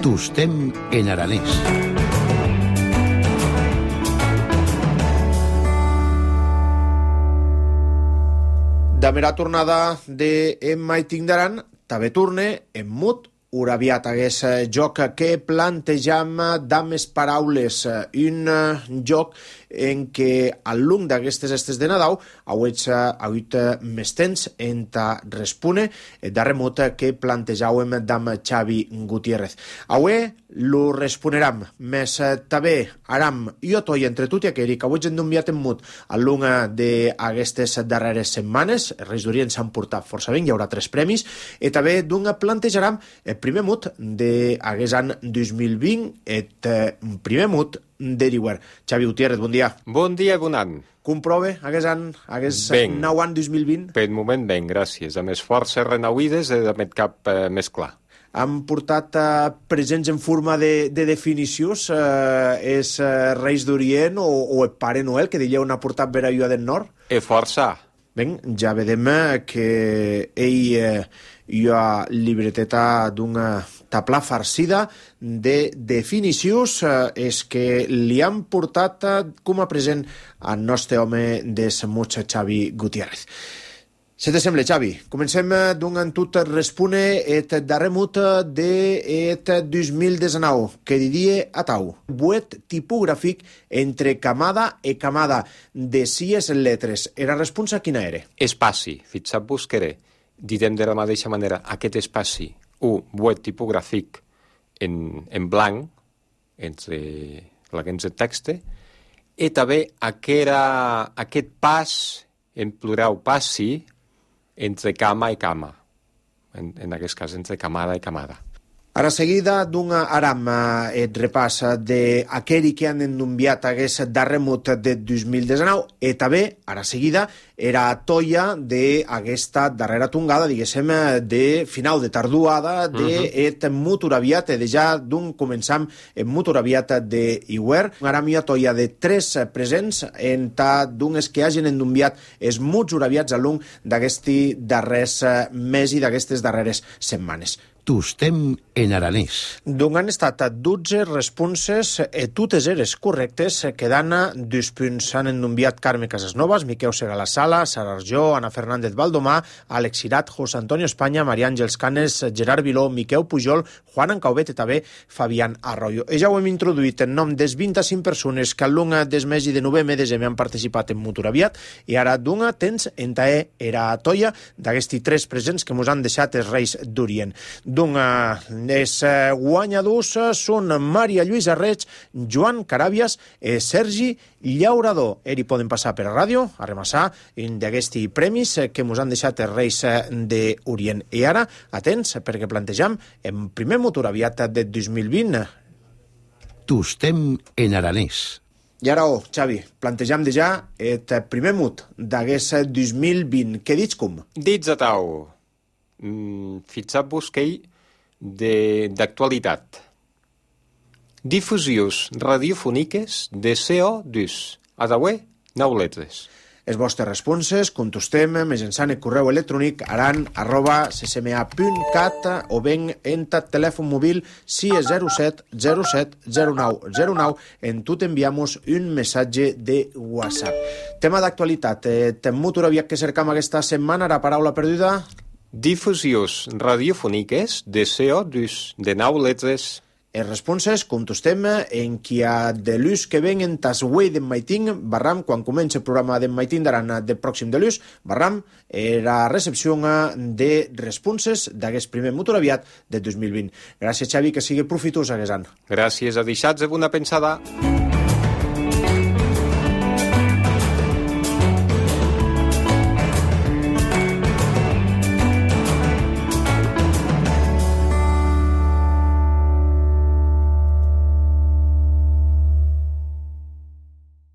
Tostem en aranès. Damera tornada de en Maiting d'Aran, també torne en mut uraviat hagués joc que plantejam dames paraules, un joc en què al lung d'aquestes estes de Nadal hagut més temps en ta respone darrer mot que plantejàvem d'am Xavi Gutiérrez. Avui lo responeram, més també aram jo toi entre tot i aquell que avui hem enviat en mut al lung d'aquestes darreres setmanes. Els Reis d'Orient s'han portat força bé, hi haurà 3 premis, i també d'un plantejaram el primer mut d'aquest any 2020, el primer mut d'Eriwer. Xavi Gutiérrez, bon dia. Bon dia i bon any. Com prove aquest nou any 2020? Per moment ben, gràcies. A més forces renauïdes i de cap més clar. Han portat presents en forma de definicions els Reis d'Orient o el Pare Noel, que dieu n'ha portat per allò del nord? Força. Ben, ja vedem que ell hi ha llibreteta d'una tabla farcida de definicions és que li han portat com a present al nostre home de Samuig, Xavi Gutiérrez. Se te sembla, Xavi? Comencem d'un tot respone et darrer mut de 2019, que diria atau. Buet tipogràfic entre camada i camada de 6 lletres. Era responsa quina era? Espaci. Fixa't buscaré. Direm de la mateixa manera, aquest espaci, buet tipogràfic en blanc, entre l'aguens de text, i també aquest pas, en plural passi, entre cama i cama. En aquest cas, entre camada i camada. Ara seguida d'una aram et repàs d'aquell que han enviat aquest darrer mut de 2019 i també, ara seguida, era toia d'aquesta darrera tongada, diguéssim, de final de tarduada d'et mut uraviat, de ja d'un començam en mut uraviat d'Iwer. Una aram i toia de 3 presents en ta d'unes que hagin enviat els muts uraviats al lung d'aquests darrers mes i d'aquestes darreres setmanes. Tostem en aranès. D'on han estat 12 responses i totes eres correctes, quedant 2 punts. Han enviat Carme Casasnovas, Miquel Segalassala, Sara Arjó, Ana Fernández Valdomà, Alex Sirat, José Antonio España, Maria Àngels Canes, Gerard Viló, Miquel Pujol, Juan Ancaubet i també Fabián Arroyo. I ja ho hem introduït en nom des 25 persones que al lung des mes de novembre i desembre han participat en Mutur Aviat, i ara d'una temps en tae era a toia d'aquests 3 presents que mos han deixat els Reis d'Orient. Els guanyadors són Maria Lluïsa Reig, Joan Caràbias i Sergi Llaurador. Ell poden passar per a ràdio a remassar d'aquests premis que ens han deixat els Reis d'Orient. I ara, atents, perquè plantejam en primer Mutur Aviat de 2020. Tostem en aranès. I ara, Xavi, plantejam de ja el primer mut d'aquest 2020. Què dits com? Dits a tau. Fixa't busquei d'actualitat. Difusions radiofòniques de CO2. A d'avui, 9 lletres. Les vostres responses, contestem mitjançant el correu electrònic aran@ccma.cat o ben en telèfon mòbil 607 07 09 09. En tot enviamos un missatge de WhatsApp. Tema d'actualitat. Mutur aviat que cercam aquesta setmana, la paraula perduda? Difusions radiofòniques de CO2, de 9 lletres. Les responses contestem en qui ha de l'ús que ven en tas web d'en Maiting, barram, quan comença el programa d'en Maiting d'aran de pròxim de l'ús, barram, la recepció de responses d'aquest primer Mutur Aviat de 2020. Gràcies, Xavi, que sigui profitós aquest any. Gràcies, a deixats de bona pensada.